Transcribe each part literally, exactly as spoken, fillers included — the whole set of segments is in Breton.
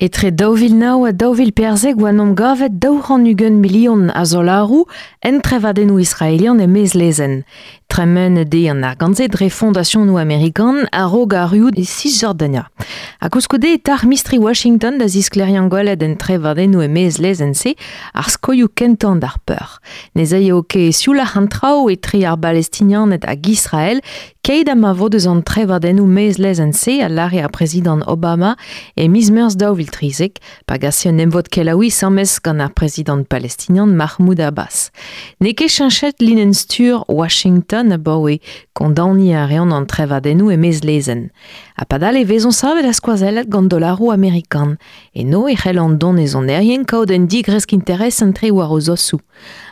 Etre daou vil nav ha daou vil perzek oa n'omp gavet daou c'hant ugent milion a zolaroù en trevadennoù israelian e mez lezenn. Tremen eo an argant-se dre fondasionoù amerikan a-raok arruout e Cisjordania. Ha koulskoude e tac'h mistri Washington da zisklêriañ gwelet en trevadennoù e mez lezenn-se ar skoioù kentañ d'ar peur. Ne zaio ket sioulac'h an traoù etre ar Balestinianed hag Israel keit ha ma vo deus an trevadennoù mez lezenn-se a lâre ar prezidant Obama e miz Meurzh daou vil trizek pa gase un emvod kelaouiñ asambles gant ar prezidant palestinian Mahmoud Abbas. N'eo ket cheñchet linenn-stur Washington abaoe kondaoniñ a reont an trevadennoù e mez lezenn. Ha padal e vezont savet ha skoazellet gant dollaroù amerikan. Eno e c'hell an donezonerien kaout un digresk interes entre war o zosoù.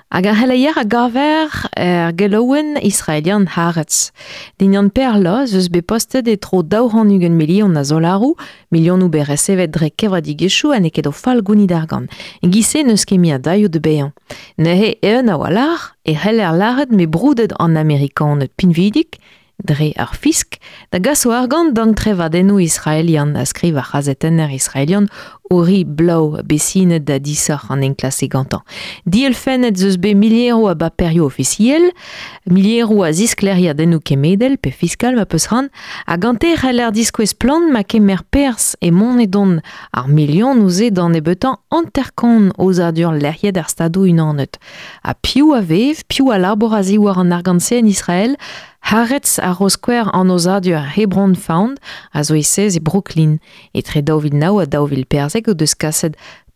Hag ar c'heleier a gaver er gelaouenn israelian Haaretz. Dindan Perla ez eus bet postet e-tro daou c'hant ugent milion a zolaroù, milionoù bet resevet dre kevredigezhioù ha n'eo ket o fall gounid argant. E-giz-se n'eus ket mui a dailhoù da baeañ. Neuze eeun a-walc'h e c'heller lâret m'eo broudet an Amerikaned pinvidik, dre ar fisk, da gas o argant d'an trevadennoù israelian a skriv ar c'hazetenner israelian Ori Blau besinet da disoc'h an enklask gantañ. Dielfennet eus bet milieroù a baperioù ofisiel, milieroù a zisklêriadennoù kemedel pe fiskal ma peus c'hoant, ha gante e c'heller diskouez splann ma kemer perzh e mont edont ar milionoù-se d'an nebeutañ hanter-kant aozadur lec'hiet ar Stadoù-Unanet. Ha piv a vev, piv a labour a-ziwar an argant-se en Israel, Haaretz a ro skouer an aozadur Hebron Fund a zo e sez e Brooklyn. Etre daou vil nav ha daou vil perzek o deus kaset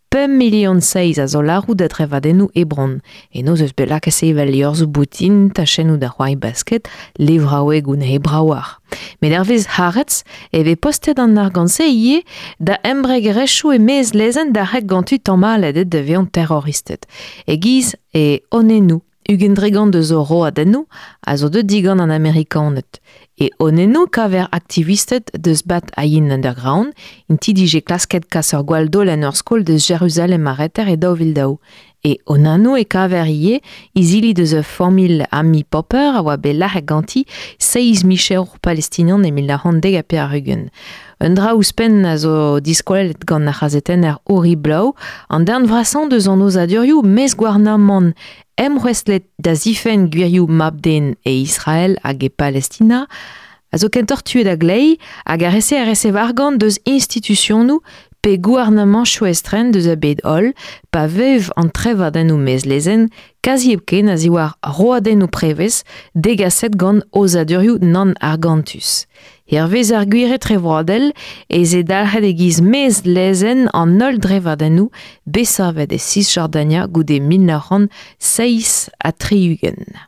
pemp milion seizh a zolaroù da drevadennoù Hebron. Eno eus bet lakaet sevel liorzhoù boutin, tachennoù da c'hoari basket, levraouegoù hebraouar. Met hervez Haaretz e vez postet an argant-se ivez da embregerezhioù e-maez lezenn da c'heg gantu tamallet da vezañ terroristed. E-giz e onennoù. Ugent dregont eus o roadennoù a zo deuet digant an Amerikaned. E onennoù kaver aktivisted deus Bat Ayin Underground, int dije klasket kas ur gwall daol en ur skol deus Jeruzalem ar reter e daou vil daou. E onennoù e kaver ivez izili deus ur familh Ami Popper a oa bet lâret ganti seizh micherour palestinian e mil nav c'hant dek ha pevar-ugent. Un dra ouzhpenn a zo diskouelet gant ar c'hazetenner Ori Blau, an darn vrasañ deus an aozadurioù mez gouarnamant emc'houestlet da zifenn gwirioù mab-den e Israel hag e Palestina, a zo kentoc'h tuet a-gleiz hag a rese a resev argant deus institusionoù pe gouarnamantoù estren deus a bed holl, pa vev an trevadennoù mez lezenn kazi hepken a-ziwar roadennoù prevez degaset gant aozadurioù nann argantus. Hervez ar gwir etrevroadel ez eo dalc'het e-giz mez lezenn an holl drevadennoù bet savet e Cisjordania goude mil nav c'hant seizh ha tri-ugent.